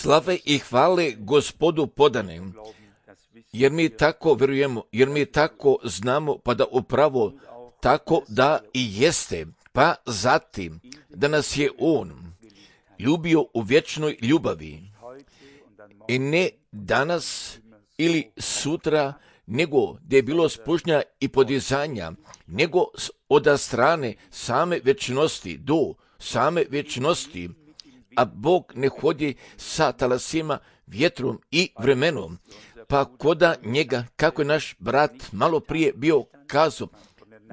Slave i hvale Gospodu podane, jer mi tako vjerujemo, jer mi tako znamo, pa da upravo tako da i jeste, pa zatim da nas je On ljubio u vječnoj ljubavi i ne danas ili sutra, nego da je bilo spužnja i podizanja, nego od strane same vječnosti do same vječnosti, a Bog ne hodi sa talasima, vjetrom i vremenom, pa koda njega, kako je naš brat malo prije bio kazao,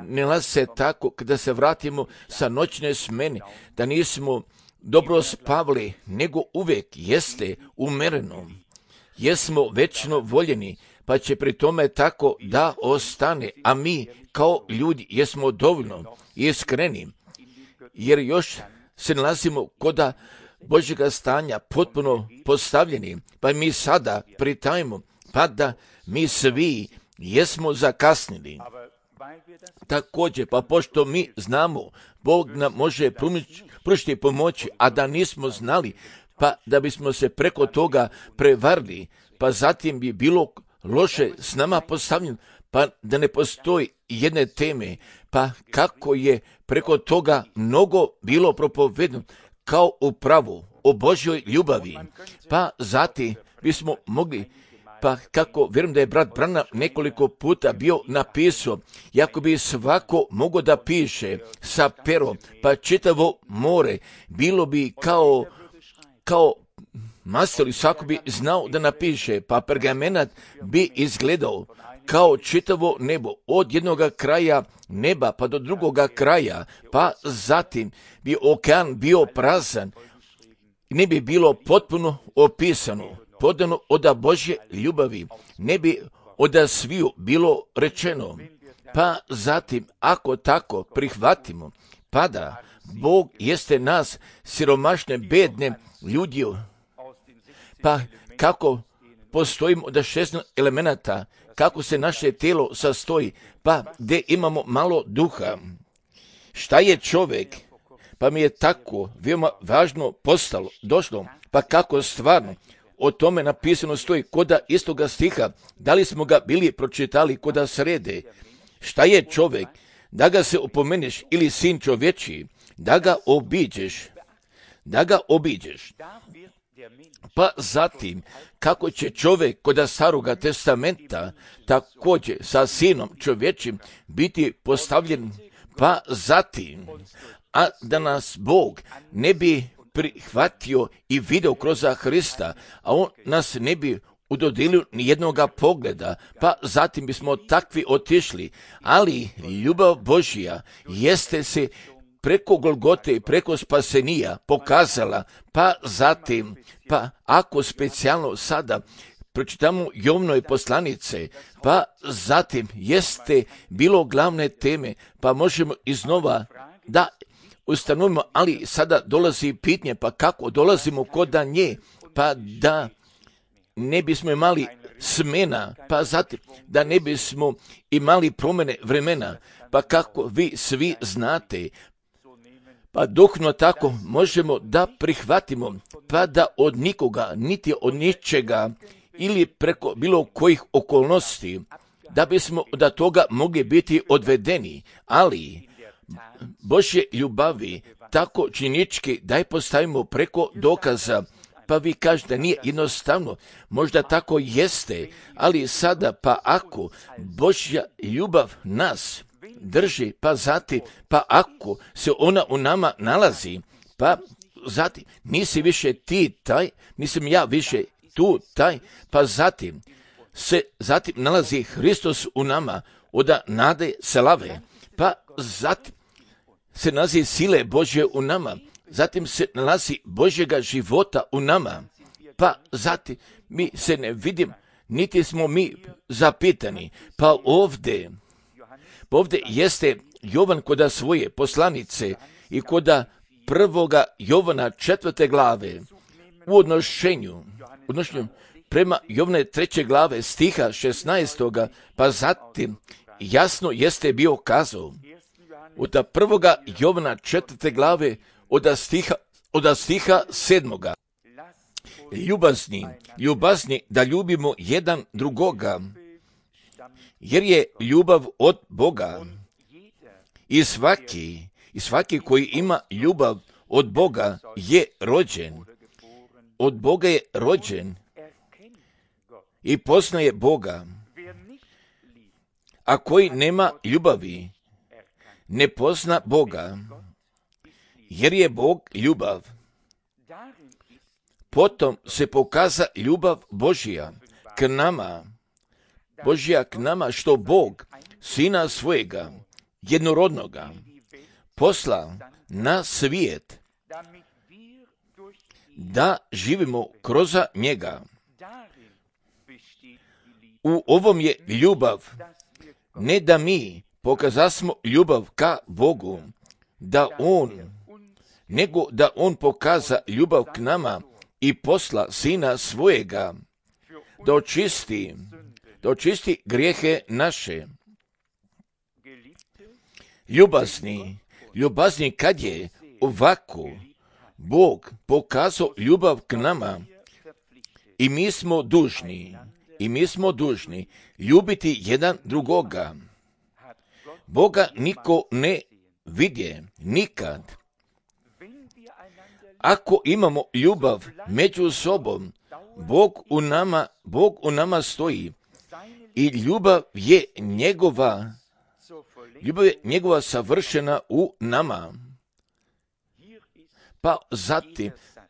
ne nalazi se tako kada se vratimo sa noćne smene, da nismo dobro spavali, nego uvijek jeste umereno. Jesmo večno voljeni, pa će pri tome tako da ostane, a mi kao ljudi jesmo dovoljno iskreni, jer još se nalazimo koda Božjega stanja potpuno postavljeni, pa mi sada pritajemo, pa da mi svi jesmo zakasnili. Također, pa pošto mi znamo, Bog nam može pružiti pomoći, a da nismo znali, pa da bismo se preko toga prevarili, pa zatim bi bilo loše s nama postavljeno, pa da ne postoji jedne teme, pa kako je preko toga mnogo bilo propovedeno, kao upravo o Božjoj ljubavi, pa zatim bismo mogli, pa kako vjerujem da je brat Branham nekoliko puta bio napisao, jako bi svako mogao da piše sa perom, pa čitavo more, bilo bi kao mastili, svako bi znao da napiše, pa pergamenat bi izgledao kao čitavo nebo, od jednoga kraja neba pa do drugoga kraja, pa zatim bi okean bio prazan, ne bi bilo potpuno opisano, podano od Božje ljubavi, ne bi od sviju bilo rečeno, pa zatim ako tako prihvatimo, pa da Bog jeste nas siromašne, bedne ljudi, pa kako postojimo od 16 elemenata, kako se naše tijelo sastoji, pa gdje imamo malo duha. Šta je čovjek? Pa mi je tako veoma važno došlo, pa kako stvarno o tome napisano stoji koda istoga stiha, da li smo ga bili pročitali koda srede. Šta je čovjek? Da ga se opomeneš, ili sin čovječiji, da ga obiđeš. Pa zatim, kako će čovjek kod staroga testamenta također sa sinom čovječim biti postavljen, pa zatim, a da nas Bog ne bi prihvatio i video kroz Hrista, a on nas ne bi udodilio ni jednoga pogleda, pa zatim bismo takvi otišli, ali ljubav Božja jeste se preko Golgote i preko spasenija pokazala, pa zatim, pa ako specijalno sada pročitamo Jovnoj poslanice, pa zatim jeste bilo glavne teme, pa možemo iznova da ustanovimo, ali sada dolazi pitanje, pa kako dolazimo kod nje, pa da ne bismo imali smena, pa zatim da ne bismo imali promjene vremena, pa kako vi svi znate, pa duhno tako možemo da prihvatimo, pa da od nikoga, niti od ničega, ili preko bilo kojih okolnosti, da bismo od toga mogli biti odvedeni, ali Božje ljubavi tako činički da je postavimo preko dokaza, pa vi kažete nije jednostavno, možda tako jeste, ali sada pa ako Božja ljubav nas drži, pa zatim, pa ako se ona u nama nalazi, pa zatim nisi više ti taj, nisam ja više tu taj, pa zatim nalazi Hristos u nama, od nade slave, pa zatim se nalazi sile Božje u nama, zatim se nalazi Božjega života u nama, pa zatim mi se ne vidim, niti smo mi zapitani, pa ovdje jeste Jovan koda svoje poslanice i koda 1. Jovana 4. glave u odnošenju prema Jovne 3. glave stiha 16. pa zatim jasno jeste bio kazao od 1. Jovana 4. glave od stiha 7. ljubazni da ljubimo jedan drugoga, jer je ljubav od Boga. I svaki koji ima ljubav od Boga je rođen. Od Boga je rođen i poznaje Boga. A koji nema ljubavi, ne pozna Boga, jer je Bog ljubav. Potom se pokaza ljubav Božja k nama, što Bog Sina svojega, jednorodnoga, posla na svijet, da živimo kroz njega. U ovom je ljubav, ne da mi pokazasmo ljubav ka Bogu, nego da On pokaza ljubav k nama i posla Sina svojega, da očisti grijehe naše. Ljubazni kad je ovako Bog pokazao ljubav k nama i mi smo dužni ljubiti jedan drugoga. Boga niko ne vidje nikad. Ako imamo ljubav među sobom, Bog u nama stoji i ljubav je njegova savršena u nama.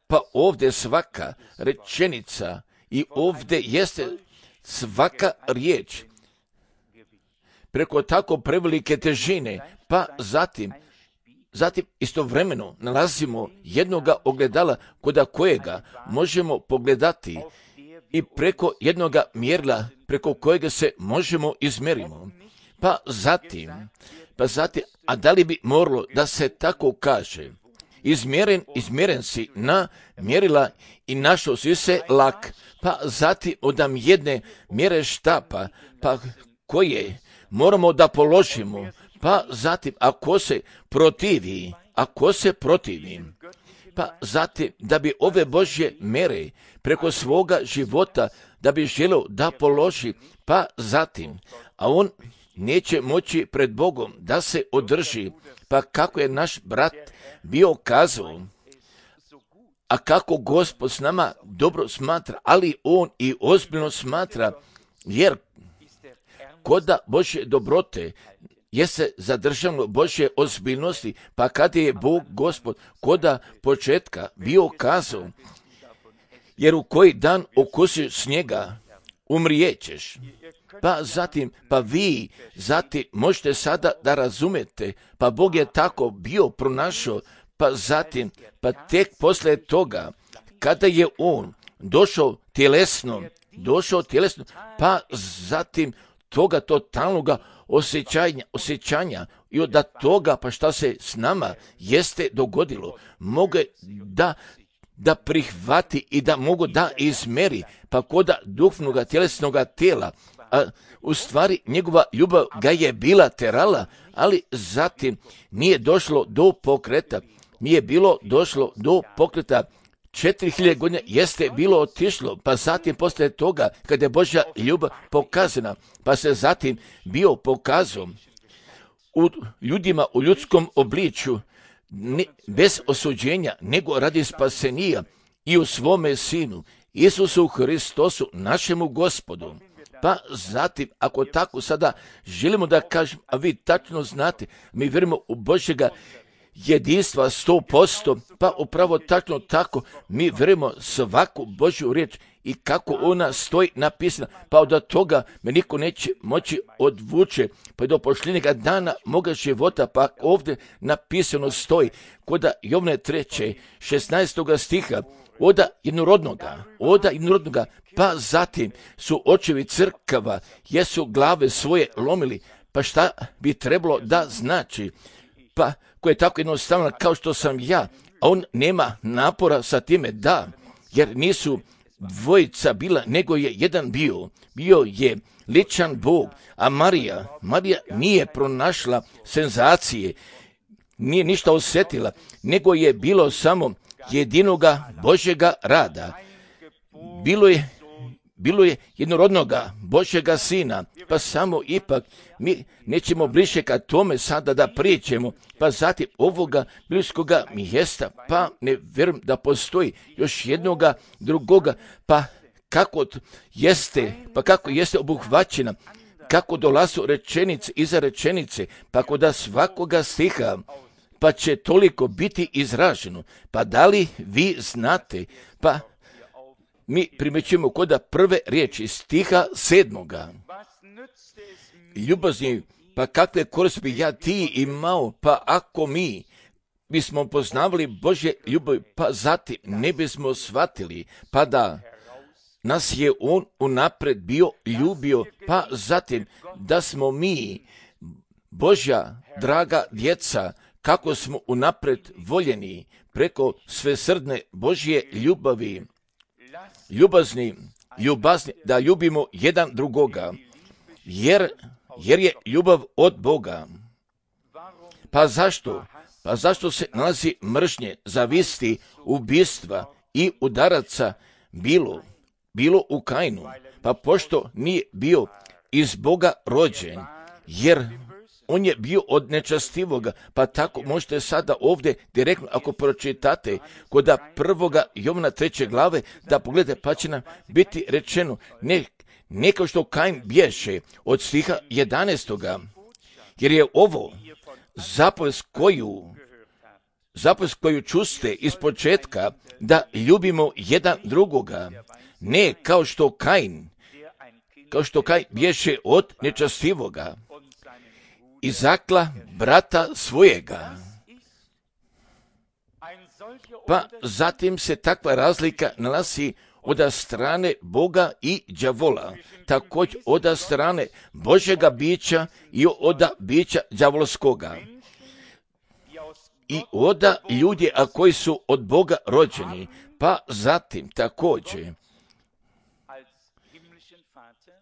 Pa ovdje svaka rečenica i ovdje jeste svaka riječ preko tako prevelike težine, pa zatim istovremeno nalazimo jednoga ogledala kod kojega možemo pogledati i preko jednoga mjerila preko kojega se možemo izmerimo. Pa zatim, a da li bi moralo da se tako kaže, izmjeren si na mjerila i našao si se lak, pa zatim odam jedne mjere štapa, pa koje moramo da položimo, pa zatim ako se protivi, pa zatim da bi ove Božje mere preko svoga života da bi želio da položi, pa zatim, a on neće moći pred Bogom da se održi, pa kako je naš brat bio kazao, a kako Gospod s nama dobro smatra, ali on i ozbiljno smatra, jer koda Božje dobrote jeste zadržano Božje ozbiljnosti, pa kada je Bog Gospod koda početka bio kazao, jer u koji dan okusiš snijega, umrijećeš. Pa vi možete sada da razumete, pa Bog je tako bio pronašao, pa tek poslije toga, kada je on došao tjelesno, pa zatim toga totalnoga osjećanja i od toga, pa šta se s nama jeste dogodilo, mogu da prihvati i da mogu da izmeri, pa koda duhovnoga tjelesnoga tijela, a u stvari njegova ljubav ga je bila terala, ali zatim nije došlo do pokreta, 4000 godina jeste bilo otišlo, pa zatim poslije toga, kada je Božja ljubav pokazana, pa se zatim bio pokazao u ljudima u ljudskom obličju, bez osuđenja, nego radi spasenija i u svome Sinu, Isusu Hristosu, našemu Gospodu. Pa zatim, ako tako sada želimo da kažem, a vi tačno znate, mi vjerujemo u Božjega jedinstva 100%, pa upravo tačno tako, mi vjerujemo svaku Božju riječ i kako ona stoji napisana, pa od toga me niko neće moći odvuče, pa do pošljenjega dana moga života, pa ovdje napisano stoji, koda Jovne 3. 16. stiha, oda jednorodnoga, pa zatim su očevi crkava, jesu glave svoje lomili, pa šta bi trebalo da znači, pa koje je tako jednostavno kao što sam ja, a on nema napora sa time da, jer nisu dvojica bila, nego je jedan bio je ličan Bog, a Marija nije pronašla senzacije, nije ništa osjetila, nego je bilo samo jedinoga Božjega rada. bilo je jednorodnoga Božjega Sina, pa samo ipak mi nećemo bliže ka tome sada da pričemo, pa zatim ovoga bliskoga mjesta, pa ne vjerujem da postoji još jednoga drugoga, pa kako jeste obuhvaćena, kako dolazu rečenice iza rečenice, pa kod svakoga stiha, pa će toliko biti izraženo. Pa da li vi znate, pa mi primjećujemo kod prve riječi stiha 7. Ljubazni, pa kakve koristi bi ja ti imao, pa ako mi bismo poznavali Božje ljubav, pa zatim ne bismo shvatili, pa da nas je on unaprijed bio ljubio, pa zatim da smo mi Božja draga djeca, kako smo unaprijed voljeni preko svesrdne Božje ljubavi. Ljubazni, da ljubimo jedan drugoga, jer je ljubav od Boga. Pa zašto? Pa zašto se nalazi mržnje, zavisti, ubistva i udaraca bilo u Kainu? Pa pošto nije bio iz Boga rođen, jer on je bio od nečastivoga, pa tako možete sada ovdje direktno, ako pročitate kod 1. Jovana 3. glave, da pogledate, pa će nam biti rečeno, ne kao što Kain bješe od stiha 11. Jer je ovo zapovest koju čuste iz početka, da ljubimo jedan drugoga, ne kao što Kain bješe od nečastivoga i zakla brata svojega. Pa zatim se takva razlika nalazi od strane Boga i đavola, također od strane Božjega bića i od bića đavolskoga. I od ljudi koji su od Boga rođeni, pa zatim također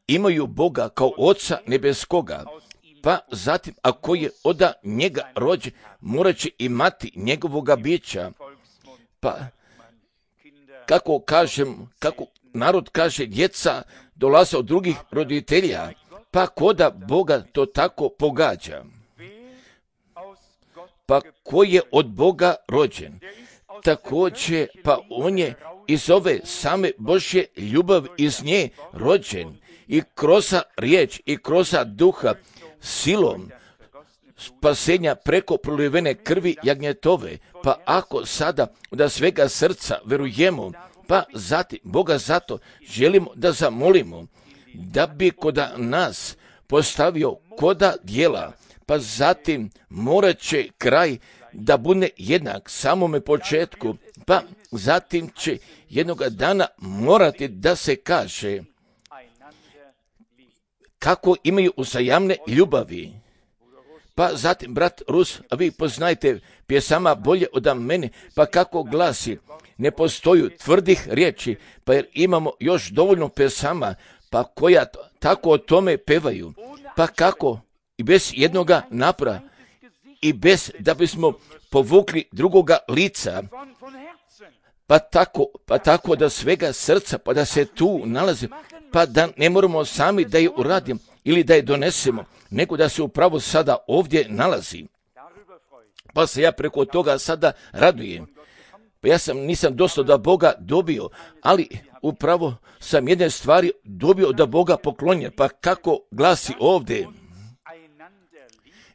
imaju Boga kao Oca nebeskoga, pa zatim ako je od njega rođen, morat će imati njegovoga bića. Pa kako narod kaže, djeca dolaze od drugih roditelja, pa koda Boga to tako pogađa. Pa ko je od Boga rođen, također pa on je iz ove same Božje ljubavi iz nje rođen i kroz riječ i kroz duha silom spasenja preko prolivene krvi jagnjetove. Pa ako sada od svega srca verujemo, pa zatim Boga zato želimo da zamolimo da bi kod nas postavio koda djela, pa zatim morat će kraj da bude jednak samome početku, pa zatim će jednoga dana morati da se kaže kako imaju uzajamne ljubavi. Pa zatim, brat Rus, a vi poznajte pjesama bolje od mene, pa kako glasi, ne postoju tvrdih riječi, pa jer imamo još dovoljno pjesama, pa koja tako o tome pevaju, pa kako i bez jednoga napora i bez da bismo povukli drugoga lica, pa tako da svega srca, pa da se tu nalazi, pa da ne moramo sami da je uradimo ili da je donesemo, nego da se upravo sada ovdje nalazi. Pa se ja preko toga sada radujem. Pa ja nisam dosta da Boga dobio, ali upravo sam jedne stvari dobio da Boga poklonjen. Pa kako glasi ovdje?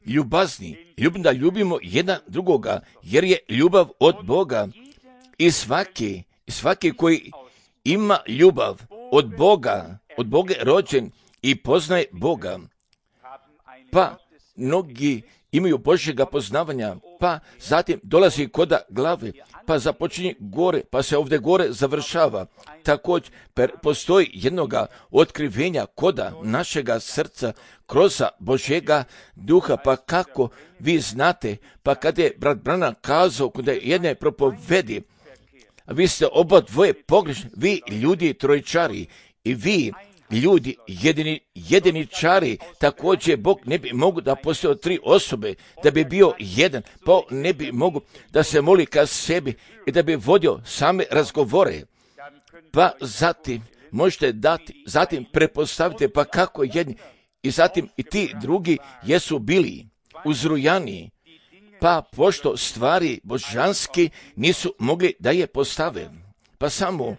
Ljubazni, da ljubimo jedan drugoga, jer je ljubav od Boga. I svaki koji ima ljubav od Boga je rođen i poznaje Boga. Pa mnogi imaju Božjega poznavanja, pa zatim dolazi koda glave, pa započinje gore, pa se ovdje gore završava. Također postoji jednoga otkrivenja koda našega srca kroz Božjega duha, pa kako vi znate, pa kada je brat Branham kazao kod jedne propovedi, vi ste oba dvoje pogrešni, vi ljudi trojčari i vi ljudi jediničari, također Bog ne bi mogu da postoje 3 osobe, da bi bio jedan, pa ne bi mogu da se moli ka sebi i da bi vodio same razgovore. pa zatim možete dati, zatim prepostavite pa kako jedni i zatim i ti drugi jesu bili uzrujani, pa pošto stvari božanski nisu mogli da je postave, pa samo,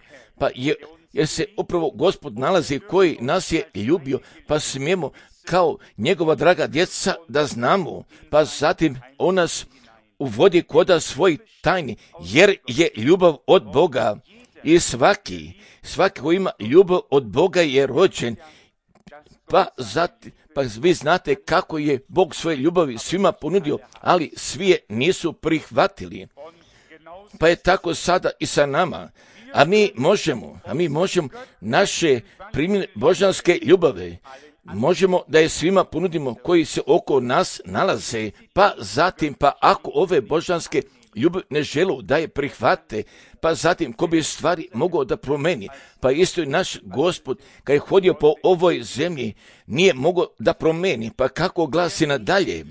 jer se upravo Gospod nalazi koji nas je ljubio, pa smijemo kao njegova draga djeca da znamo, pa zatim on nas uvodi koda svoj tajni, jer je ljubav od Boga i svaki koji ima ljubav od Boga je rođen, pa vi znate kako je Bog svoje ljubavi svima ponudio, ali svi je nisu prihvatili. Pa je tako sada i sa nama. A mi možemo naše primjene božanske ljubave, možemo da je svima ponudimo koji se oko nas nalaze, pa zatim, ako ove božanske ljubav ne želu da je prihvate, pa zatim ko bi stvari mogao da promeni, pa isto i naš Gospod kad je hodio po ovoj zemlji nije mogao da promeni, pa kako glasi nadalje,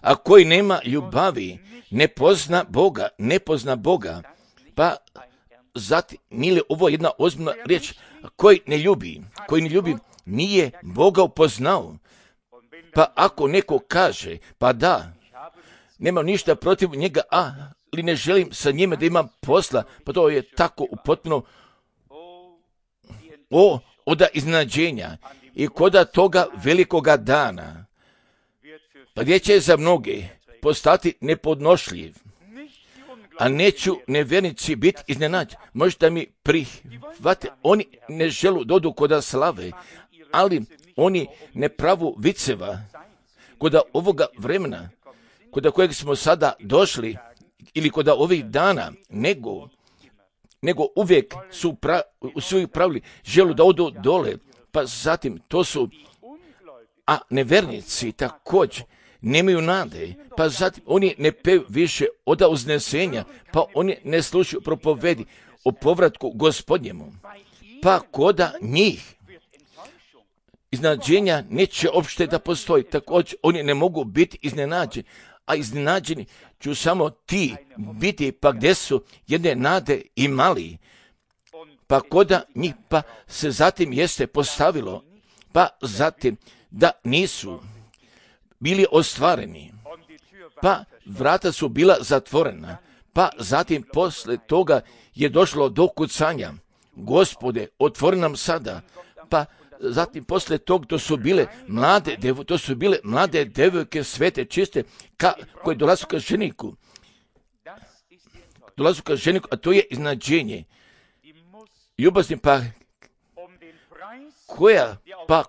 a koji nema ljubavi ne pozna Boga, pa zatim nije ovo jedna ozbiljna riječ, koji ne ljubi nije Boga upoznao, pa ako neko kaže, pa da, nemam ništa protiv njega, ali ne želim sa njime da imam posla, pa to je tako upotpuno od iznenađenja i koda toga velikoga dana, pa gdje će za mnoge postati nepodnošljiv, a neću nevjernici biti iznenađeni. Možda mi prihvate, oni ne želu dodu koda slave, ali oni ne pravu viceva koda ovoga vremena, koda kojeg smo sada došli, ili koda ovih dana, nego uvijek su pravili, želu da odu dole, pa zatim to su, a nevernici također nemaju nade, pa zatim oni ne peju više od uznesenja, pa oni ne slušaju propovedi o povratku Gospodnjemu, pa koda njih iznenađenja neće uopšte da postoji, također oni ne mogu biti iznenađeni, a iznenađeni ću samo ti biti, pa gdje su jedne nade imali, pa koda njih, pa se zatim jeste postavilo, pa zatim da nisu bili ostvareni, pa vrata su bila zatvorena, pa zatim posle toga je došlo do kucanja, Gospode, otvori nam sada, pa zatim posle tog to su bile mlade devojke svete, čiste, koje dolazu ka ženiku, a to je iznenađenje. Ljubazni,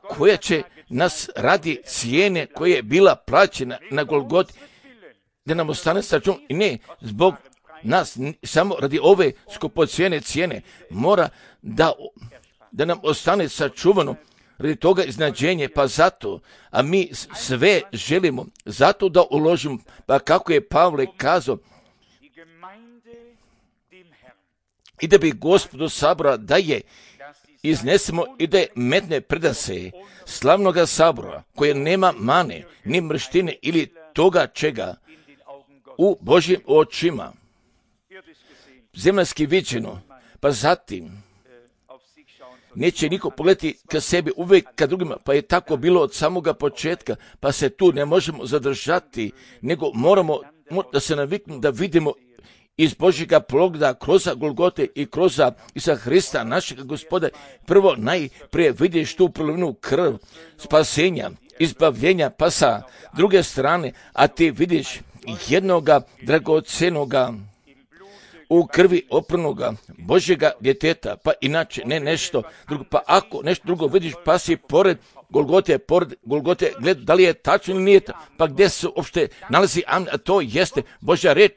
koja će nas radi cijene koja je bila plaćena na Golgoti, da nam ostane sačuvan, i ne zbog nas, samo radi ove skupocjene cijene, mora da nam ostane sačuvano radi toga iznenađenje, pa zato, a mi sve želimo, zato da uložimo, pa kako je Pavle kazao, i da bi Gospodu sabora da je iznesemo i da je metne predase slavnoga sabora, koje nema mane, ni mrštine ili toga čega u Božjim očima, zemaljski viđeno, pa zatim neće niko pogledati ka sebi, uvijek ka drugima, pa je tako bilo od samoga početka, pa se tu ne možemo zadržati, nego moramo da se naviknemo da vidimo iz Božjega pogleda kroz Golgote i kroz Isusa Hrista, našeg Gospoda, prvo najprije vidiš tu prolivenu krv spasenja, izbavljenja, pa sa druge strane, a ti vidiš jednoga dragocenoga u krvi opranoga Božjega djeteta, pa inače ne nešto drugo, pa ako nešto drugo vidiš, pa si pored Golgote, gleda da li je tačno ili nije, pa gdje se uopšte nalazi, a to jeste Božja reč,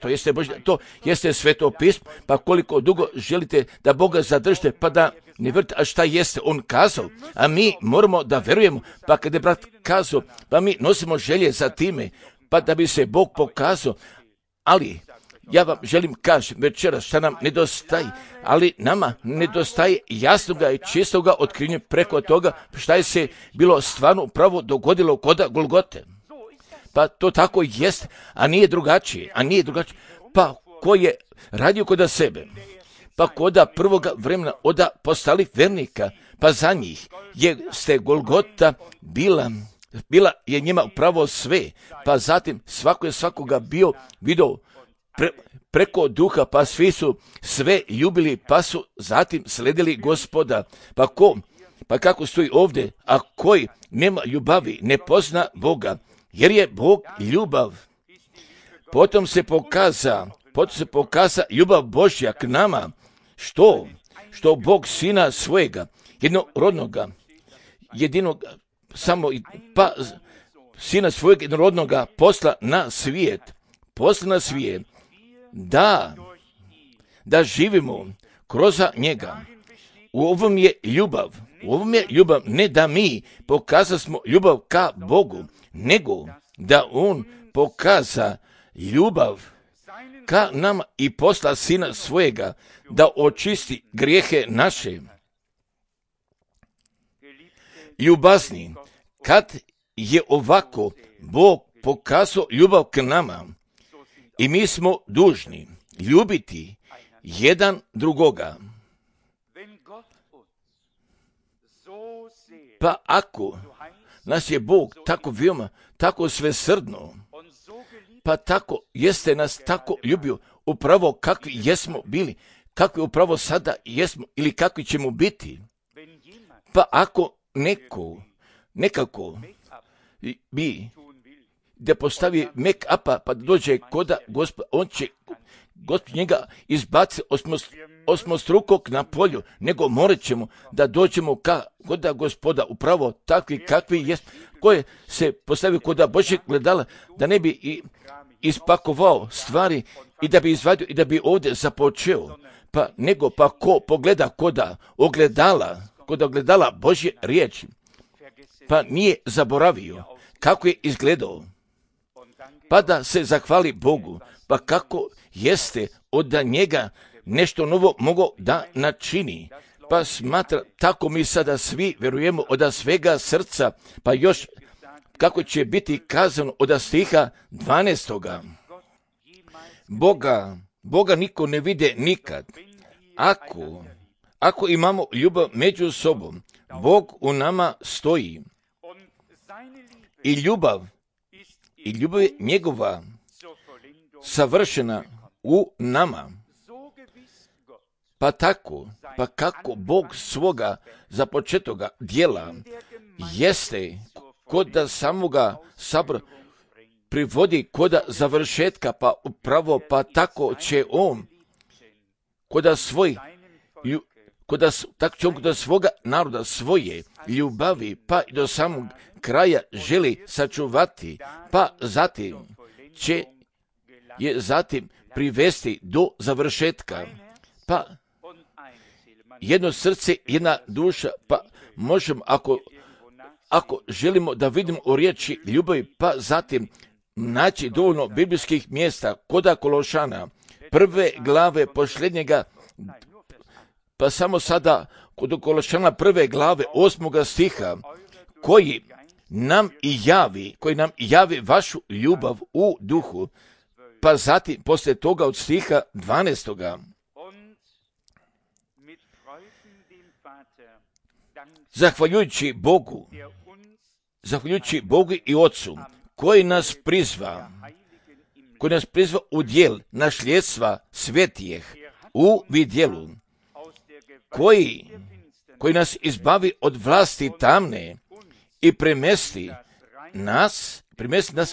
to jeste Sveto pismo, pa koliko dugo želite da Boga zadržite, pa da ne vjerujete, a šta jeste on kazao, a mi moramo da verujemo, pa kad je brat kazao, pa mi nosimo želje za time, pa da bi se Bog pokazao, ali ja vam želim kažem večeras šta nam nedostaje, ali nama nedostaje jasnoga i čistoga otkrivenja preko toga šta je se bilo stvarno pravo dogodilo kod Golgote. Pa to tako jest, a nije drugačije. Pa ko je radio kod sebe, pa koda prvoga vremena oda postali vernika, pa za njih ste Golgota bila je njima upravo sve, pa zatim svako je svakoga bio vidio preko duha, pa svi su sve ljubili, pa su zatim sledili Gospoda. Pa kako stoji ovdje, a koji nema ljubavi, ne pozna Boga, jer je Bog ljubav. Potom se pokaza ljubav Božja k nama, što Bog Sina svojega, Sina svojeg jednorodnoga posla na svijet, da živimo kroz njega. U ovom je ljubav, ne da mi pokazasmo ljubav ka Bogu, nego da On pokaza ljubav ka nama i posla Sina svojega, da očisti grijehe naše. Ljubazni, kad je ovako Bog pokazao ljubav k nama, i mi smo dužni ljubiti jedan drugoga. Pa ako nas je Bog tako veoma, tako svesrdno, pa tako jeste nas tako ljubio, upravo kakvi jesmo bili, kakvi upravo sada jesmo ili kakvi ćemo biti. Pa ako nekako bi da postavi make-upa pa dođe koda Gospod, on će Gospod njega izbaci osmostrukog na polju, nego morat ćemo da dođemo koda Gospoda, upravo takvi kakvi jesmo, koje se postavi koda Božjeg gledala, da ne bi ispakovao stvari i da bi izvadio i da bi ovdje započeo, pa ko pogleda koda ogledala Božje riječi, pa nije zaboravio kako je izgledao, pa da se zahvali Bogu, pa kako jeste od njega nešto novo mogao da načini. Pa smatra, tako mi sada svi vjerujemo od svega srca, pa još kako će biti kazano od stiha 12. Boga niko ne vide nikad. Ako imamo ljubav među sobom, Bog u nama stoji. I ljubav je njegova savršena u nama. Pa kako Bog svoga započetoga djela jeste kod da samoga sabora privodi kod završetka, pa upravo pa tako će on kod svoga naroda svoje ljubavi pa i do samog kraja želi sačuvati, pa zatim će je privesti do završetka. Pa jedno srce, jedna duša, pa možemo ako želimo da vidimo o riječi ljubavi, pa zatim naći dovoljno biblijskih mjesta koda Kološana, 1. glave posljednjega, pa samo sada kod Kološana 1. glave 8. stiha, koji nam javi vašu ljubav u duhu, pa zatim poslije toga od stiha 12. Zahvaljujući Bogu i Otcu, koji nas prizva u djel nasljedstva svetijeh u vidjelu, koji nas izbavi od vlasti tamne i premesti nas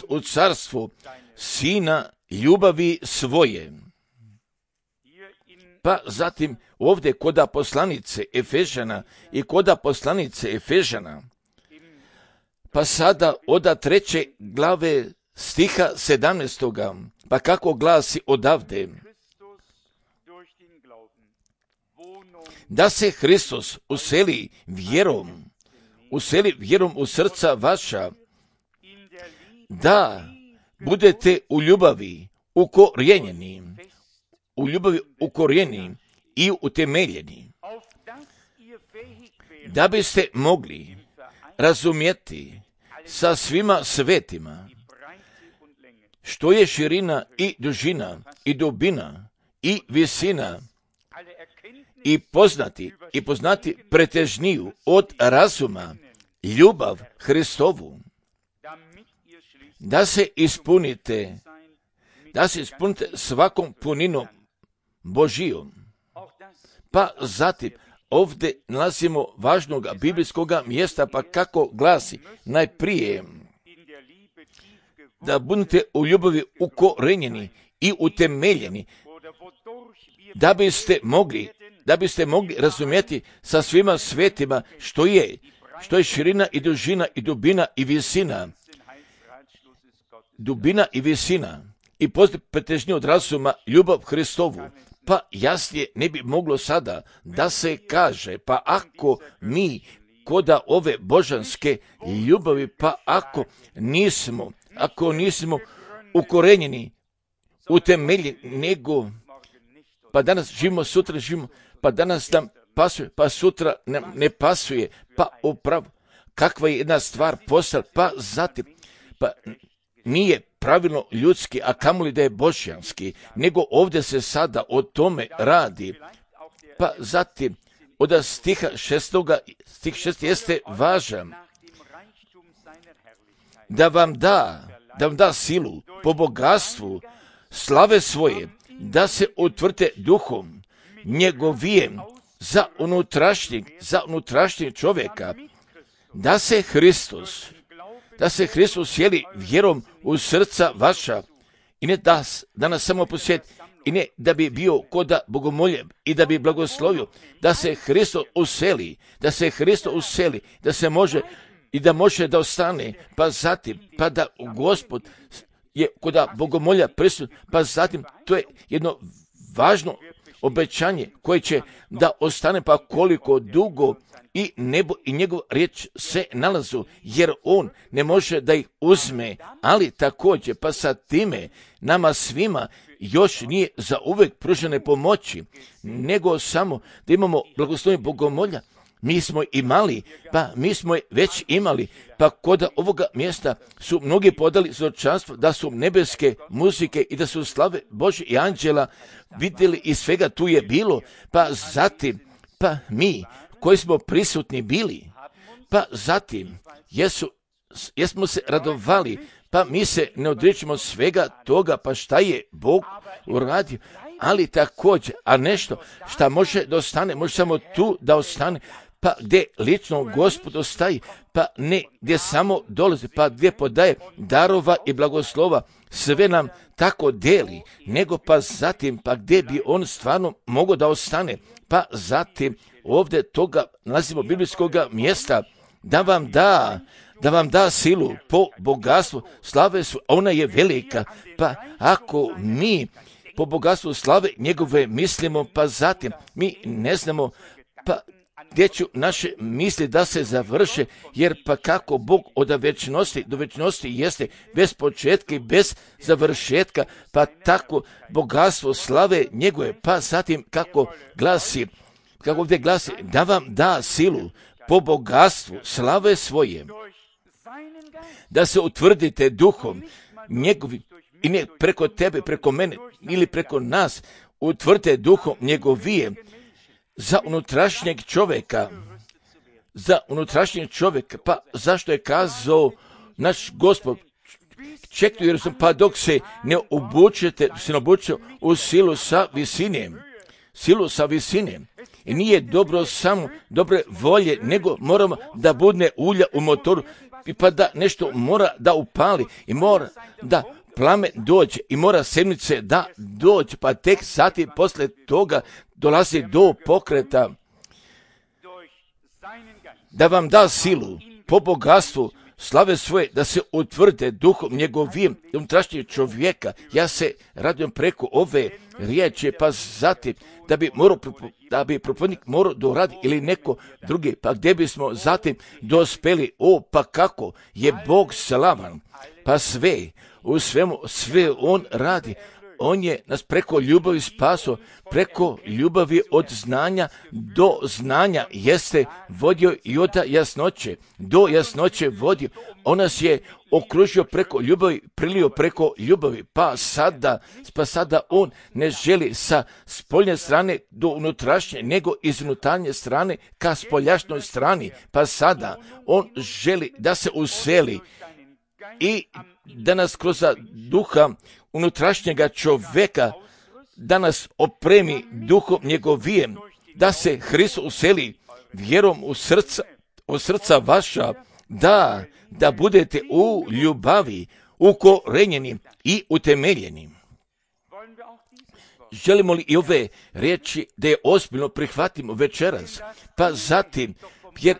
u carstvo Sina ljubavi svoje. Pa zatim ovdje koda poslanice Efežana, pa sada od 3. glave stiha 17. pa kako glasi odavde, da se Hristos useli vjerom u srca vaša, da budete u ljubavi ukorijenjeni i utemeljeni, da biste mogli razumjeti sa svima svetima što je širina i dužina i dubina i visina i poznati pretežniju od razuma, ljubav Hristovu, da se ispunite svakom puninom Božijom. Pa zatim, ovdje nalazimo važnog biblijskog mjesta, pa kako glasi, najprije, da budete u ljubavi ukorenjeni i utemeljeni, da biste mogli razumjeti sa svima svetima što je širina i dužina i dubina i visina. Dubina i visina i postoji pretežnije od razuma ljubav Hristovu. Pa jasnije ne bi moglo sada da se kaže, pa ako mi koda ove božanske ljubavi, pa ako nismo ukorenjeni, utemeljeni, nego pa danas živimo, sutra živimo, pa danas nam pasuje, pa sutra nam ne pasuje, pa upravo kakva je jedna stvar postala, pa zatim, pa nije pravilno ljudski, a kamoli da je božjanski, nego ovdje se sada o tome radi. Pa zatim, od stiha 6. stih 6 jeste važan, da vam da silu po bogatstvu slave svoje, da se utvrte duhom njegovijem za unutrašnjeg čovjeka, da se Hristos sjeli vjerom u srca vaša i ne da nas samo posjeti i ne da bi bio koda bogomolje i da bi blagoslovio, da se Hristos useli, da se može i da može da ostane, pa zatim, pa da Gospod je koda bogomolja prisutan, pa zatim to je jedno važno obećanje koje će da ostane, pa koliko dugo i nebo i njegov riječ se nalazu, jer on ne može da ih uzme, ali također pa sa time nama svima još nije za uvek pružene pomoći, nego samo da imamo blagoslovljenje bogomolja. Mi smo već imali, pa kod ovoga mjesta su mnogi podali svjedočanstvo da su nebeske muzike i da su slave Božje i anđela vidjeli i svega tu je bilo, pa zatim, pa mi koji smo prisutni bili, pa zatim jesmo se radovali, pa mi se ne odričemo svega toga, pa šta je Bog uradio, ali također, a nešto šta može da ostane, može samo tu da ostane, pa gdje lično Gospod ostaje, pa ne gdje samo dolazi, pa gdje podaje darova i blagoslova, sve nam tako deli, nego pa zatim, pa gdje bi on stvarno mogao da ostane, pa zatim ovdje toga nalazimo biblijskog mjesta, da vam da silu po bogatstvu slave su, ona je velika, pa ako mi po bogatstvu slave njegove mislimo, pa zatim mi ne znamo, pa gdje ću naše misli da se završe, jer pa kako Bog od večnosti do večnosti jeste bez početka i bez završetka, pa tako bogatstvo slave njegove, pa zatim kako ovdje glasi, da vam da silu po bogatstvu slave svoje, da se utvrdite duhom njegovim, i ne preko tebe, preko mene ili preko nas, utvrdite duhom njegovije, za unutrašnjeg čovjeka, pa zašto je kazao naš Gospod, čekajte jer sam, pa dok se ne obučete u silu sa visine, i nije dobro samo dobre volje, nego moramo da budne ulja u motoru, i pa da nešto mora da upali, i mora da plamen dođe, i mora sedmice da dođe, pa tek sati posle toga dolazi do pokreta, da vam da silu po bogatstvu slave svoje, da se utvrde duhom njegovim unutrašnjeg čovjeka. Ja se radujem preko ove riječi, pa zatim da bi propovednik morao doradi ili neko drugi, pa gdje bismo zatim dospeli, pa kako je Bog slavan, pa sve on radi, on je nas preko ljubavi spaso, preko ljubavi od znanja do znanja jeste vodio i od jasnoće do jasnoće vodio. On nas je okružio preko ljubavi, prilio preko ljubavi, pa sada on ne želi sa spoljne strane do unutrašnje, nego iz unutarnje strane ka spoljašnjoj strani, pa sada on želi da se useli i da nas kroz duha unutrašnjega čoveka, da nas opremi duhom njegovijem, da se Hristos useli vjerom u srca vaša, da budete u ljubavi ukorenjeni i utemeljeni. Želimo li i ove riječi da je ozbiljno prihvatimo večeras, pa zatim, jer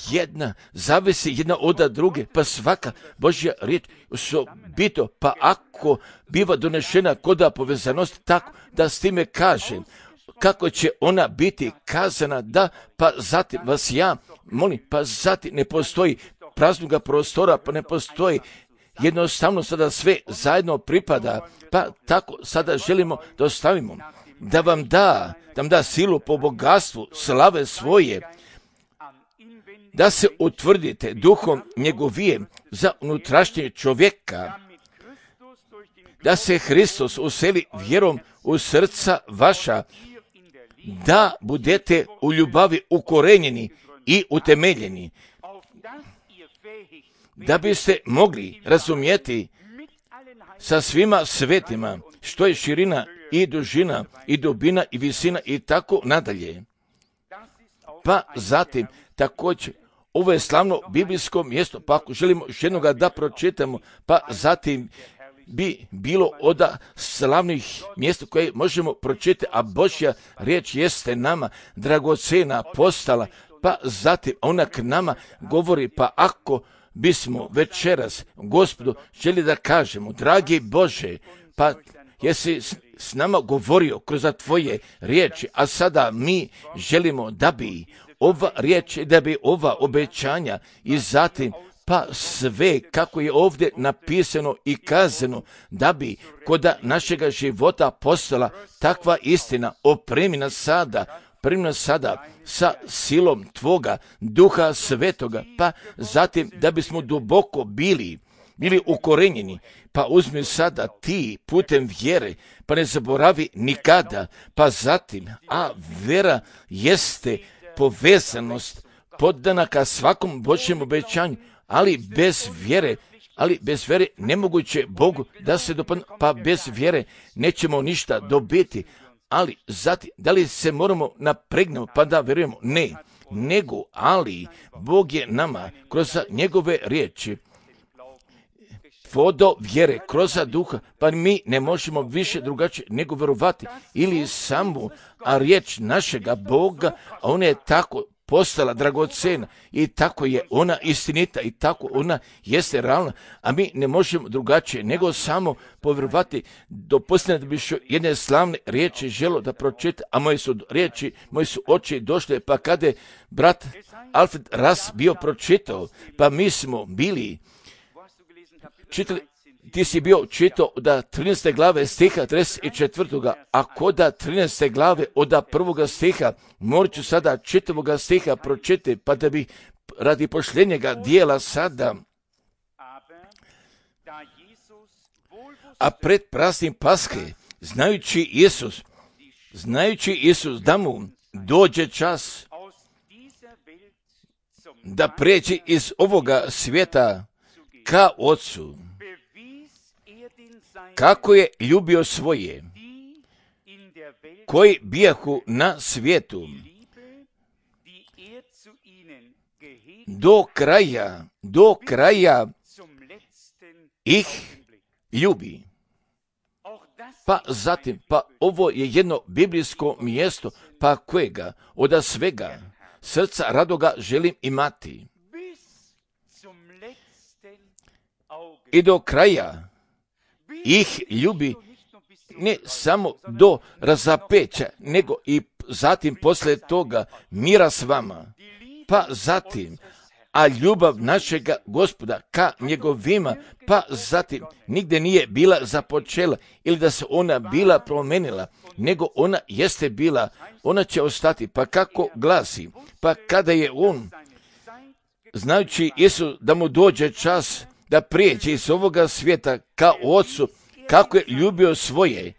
jedna zavisi jedna od druge, pa svaka Božja riječ osobito, pa ako biva donešena koda povezanost, tako da s time kažem, kako će ona biti kazana, pa zatim vas ja molim, pa zatim ne postoji praznoga prostora, pa ne postoji, jednostavno sada sve zajedno pripada, pa tako sada želimo da ostavimo, da vam da silu po bogatstvu slave svoje, da se utvrdite duhom njegovijem za unutrašnje čovjeka, da se Hristos useli vjerom u srca vaša, da budete u ljubavi ukorenjeni i utemeljeni, da biste mogli razumjeti sa svima svetima što je širina i dužina i dubina i visina i tako nadalje. Pa zatim također ovo je slavno biblijsko mjesto, pa ako želimo još jednoga da pročitamo, pa zatim bi bilo od slavnih mjesta koje možemo pročitati, a Božja riječ jeste nama dragocena postala, pa zatim ona k nama govori, pa ako bismo večeras Gospodu želi da kažemo, dragi Bože, pa jesi s nama govorio kroz tvoje riječi, a sada mi želimo da bi ova riječ, da bi ova obećanja i zatim pa sve kako je ovdje napisano i kazano, da bi kod našega života postala takva istina, opremi nas sada sa silom tvoga duha svetoga, pa zatim da bismo duboko bili ukorenjeni, pa uzmi sada ti putem vjere, pa ne zaboravi nikada, pa zatim, a vera jeste povezanost poddana ka svakom Božjem obećanju, ali bez vjere nemoguće Bogu da se dopadne, pa bez vjere nećemo ništa dobiti. Ali zatim, da li se moramo napregnuti pa da vjerujemo? Ne, ali Bog je nama kroz njegove riječi vodo vjere, kroz duha, pa mi ne možemo više drugačije nego vjerovati ili samo, a riječ našega Boga, a ona je tako postala dragocena i tako je ona istinita i tako ona jeste realna, a mi ne možemo drugačije nego samo povjerovati. Dopustite da bi još jedne slavne riječi želo da pročita, a moji su oči došle, pa kada je brat Alfred Ras bio pročitao, pa mi smo bili čitali, ti si bio čitao od 13. glave stiha 34. a kod 13. glave od 1. stiha, morat ću sada čitavoga stiha pročitati, pa da bi radi pošljenjega dijela sada, a pred praznim Paske, znajući Isus da mu dođe čas da pređe iz ovoga svijeta ka Otcu, kako je ljubio svoje, koji bijahu na svijetu, do kraja ih ljubi. Pa zatim, pa ovo je jedno biblijsko mjesto, pa kojega od svega srca radoga želim imati. I do kraja ih ljubi, ne samo do razapeća, nego i zatim poslije toga mira s vama. Pa zatim, a ljubav našega Gospoda ka njegovima, pa zatim nigde nije bila započela ili da se ona bila promenila, nego ona jeste bila, ona će ostati. Pa kako glasi? Pa kada je on, znajući Isus da mu dođe čas da prijeđe iz ovoga svijeta ka Ocu, kako je ljubio svoje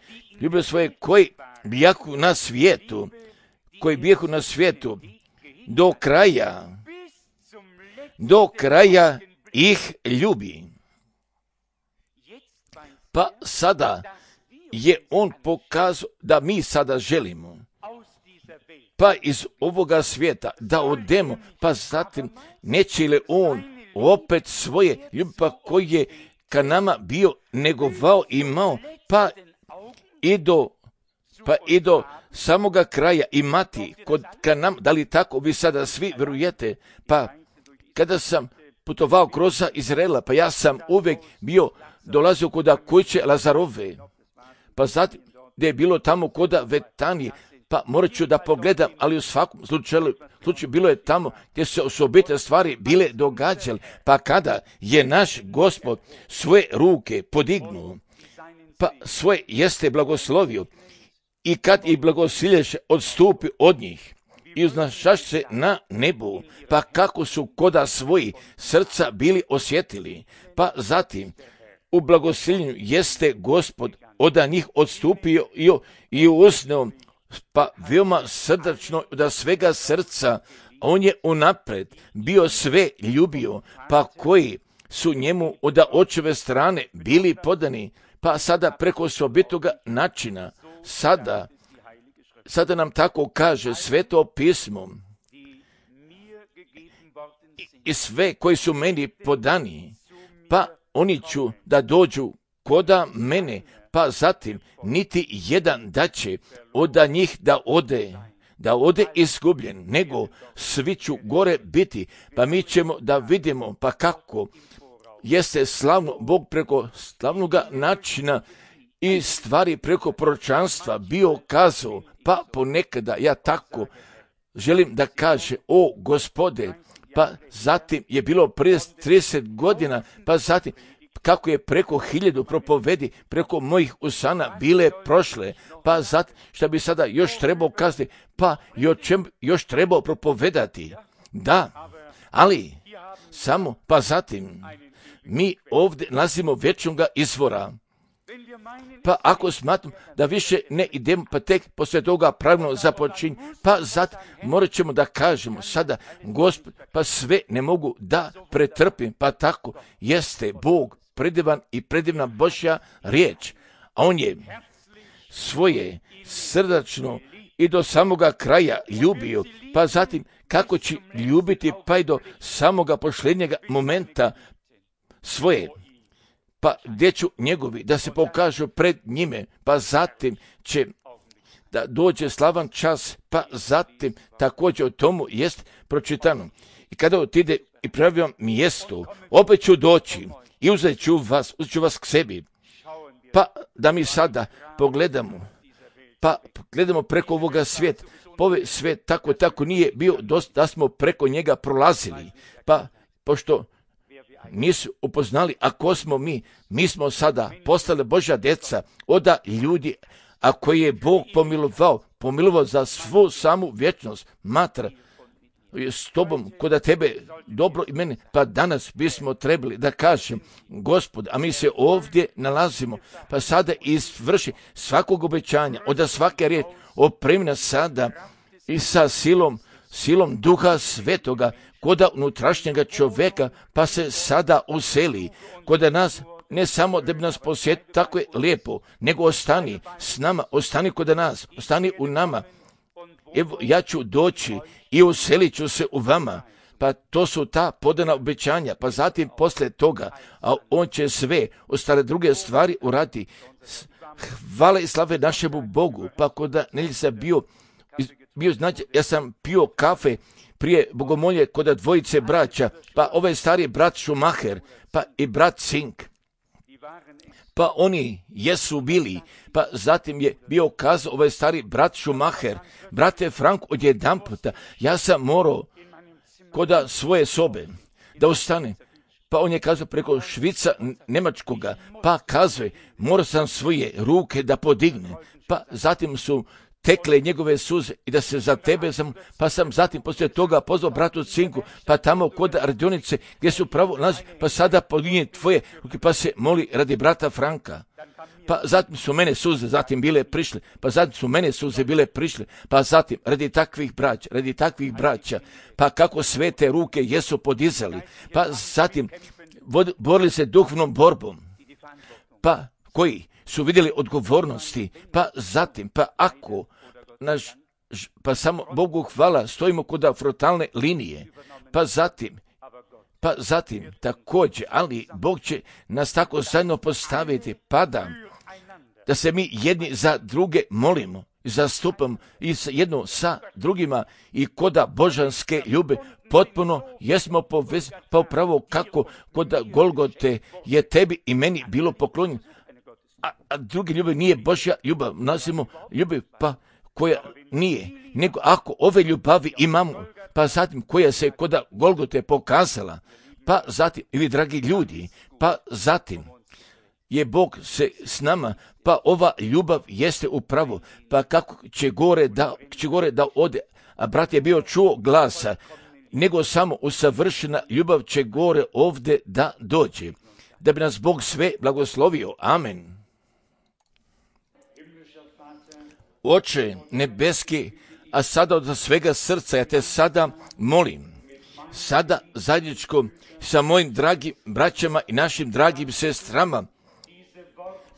koji bijahu na svijetu, do kraja ih ljubi. Pa sada je on pokazao da mi sada želimo, pa iz ovoga svijeta da odemo, pa zatim neće li on opet svoje ljubi, pa koji je ka nama bio negovao imao, pa i do samoga kraja imati ka nam. Da li tako vi sada svi vjerujete? Pa kada sam putovao kroz Izraela, pa ja sam uvijek dolazio kod kuće Lazarove, pa zatim gdje je bilo tamo kod Vetanije, pa morat ću da pogledam, ali u svakom slučaju bilo je tamo gdje se osobite stvari bile događale, pa kada je naš Gospod svoje ruke podignuo, pa svoje jeste blagoslovio, i kad i blagosilješ odstupi od njih i uznašaš se na nebu, pa kako su koda svoji srca bili osjetili, pa zatim u blagosiljenju jeste Gospod od njih odstupio i usneo, pa veoma srdačno da svega srca on je unapred bio sve ljubio, pa koji su njemu od očeve strane bili podani, pa sada preko osobitoga načina, sada nam tako kaže Sveto pismo, i sve koji su meni podani, pa oni ću da dođu koda mene, pa zatim niti jedan da će od njih da ode izgubljen, nego svi ću gore biti, pa mi ćemo da vidimo, pa kako jeste slavno Bog preko slavnoga načina i stvari preko proročanstva bio kazao, pa ponekada ja tako želim da kaže, o Gospode, pa zatim je bilo prije 30 godina, pa zatim kako je preko 1000 propovedi preko mojih usana bile prošle, pa zatim šta bi sada još trebao kazati, pa i o čem još trebao propovedati. Da, ali samo, pa zatim mi ovdje nalazimo vječnoga izvora. Pa ako smatram da više ne idemo, pa tek poslije toga pravilno započinje, pa zato morat ćemo da kažemo sada, Gospod, pa sve ne mogu da pretrpim, pa tako jeste Bog predivan i predivna Božja riječ, a on je svoje srdačno i do samoga kraja ljubio, pa zatim kako će ljubiti pa i do samoga posljednjega momenta svoje, pa gdje ću njegovi da se pokažu pred njime, pa zatim će da dođe slavan čas, pa zatim također o tomu jest pročitano. I kada otide i pravi vam mjesto, opet ću doći i uzet ću vas k sebi. Pa da mi sada pogledamo, pa gledamo preko ovoga svijeta. Ovaj svijet tako nije bio dosta da smo preko njega prolazili, pa pošto nisu upoznali, a ko smo mi smo sada postali Božja djeca od ljudi, a koji je Bog pomilovao za svu samu vječnost. Matra s tobom, koda tebe dobro i mene, pa danas bismo trebali da kažem, Gospod, a mi se ovdje nalazimo, pa sada izvrši svakog obećanja, od svake riječi, opremi nas sada i sa silom Duha Svetoga, koda unutrašnjega čovjeka, pa se sada useli, koda nas, ne samo da bi nas posjetio, tako je lijepo, nego ostani s nama, ostani kod nas, ostani u nama. Evo, ja ću doći i uselit ću se u vama, pa to su ta podana obećanja, pa zatim poslije toga, a on će sve ostale druge stvari uraditi. Hvala i slave našemu Bogu, pa koda Nelisa bio znači, ja sam pio kafe prije bogomolje kod dvojice braća, pa ovaj stari brat Schumacher, pa i brat Zink, pa oni jesu bili, pa zatim je bio kazao ovaj stari brat Schumacher, brate Frank, odjedanputa, ja sam morao kod svoje sobe, da ustane. Pa on je kazao preko švica Njemačkoga, pa kazuje, morao sam svoje ruke da podigne. Pa zatim su tekle njegove suze i da se za tebe pa sam zatim poslije toga pozvao bratu Cinku, pa tamo kod radionice gdje su pravo nalazi, pa sada podigne tvoje ruke, pa se moli radi brata Franka. Pa zatim su mene suze zatim bile prišle, pa zatim su mene suze bile prišle, pa zatim radi takvih braća, pa kako svete ruke jesu podizali, pa zatim borili se duhovnom borbom, pa koji su vidjeli odgovornosti, pa zatim, pa samo Bogu hvala, stojimo kod frontalne linije, pa zatim također, ali Bog će nas tako zajedno postaviti, pa da se mi jedni za druge molimo, zastupamo i jedno sa drugima i koda božanske ljube potpuno jesmo povezani, pa upravo kako kod Golgote je tebi i meni bilo poklonjeno, a druge ljubav nije Božja ljubav, nazivamo ljubav pa koja nije, nego ako ove ljubavi imamo, pa zatim koja se kod Golgote pokazala, pa zatim, i vi dragi ljudi, pa zatim je Bog se s nama, pa ova ljubav jeste upravo, pa kako će gore da ode, a brat je bio čuo glasa, nego samo usavršena ljubav će gore ovdje da dođe, da bi nas Bog sve blagoslovio. Amen. Oče nebeski, a sada od svega srca ja te sada molim, sada zajedničko sa mojim dragim braćama i našim dragim sestrama,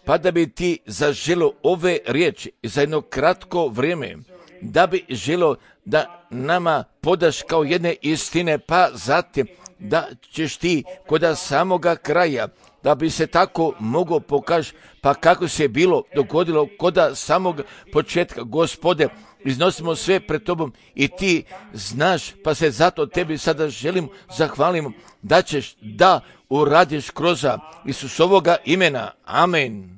pa da bi ti zaželo ove riječi za jedno kratko vrijeme, da bi želo da nama podaš kao jedne istine, pa zatim da ćeš ti kod samoga kraja, da bi se tako mogao pokaži, pa kako se bilo dogodilo kod samog početka. Gospode, iznosimo sve pred tobom i ti znaš, pa se zato tebi sada želim zahvalimo da ćeš da uradiš kroz Isusovoga imena. Amen.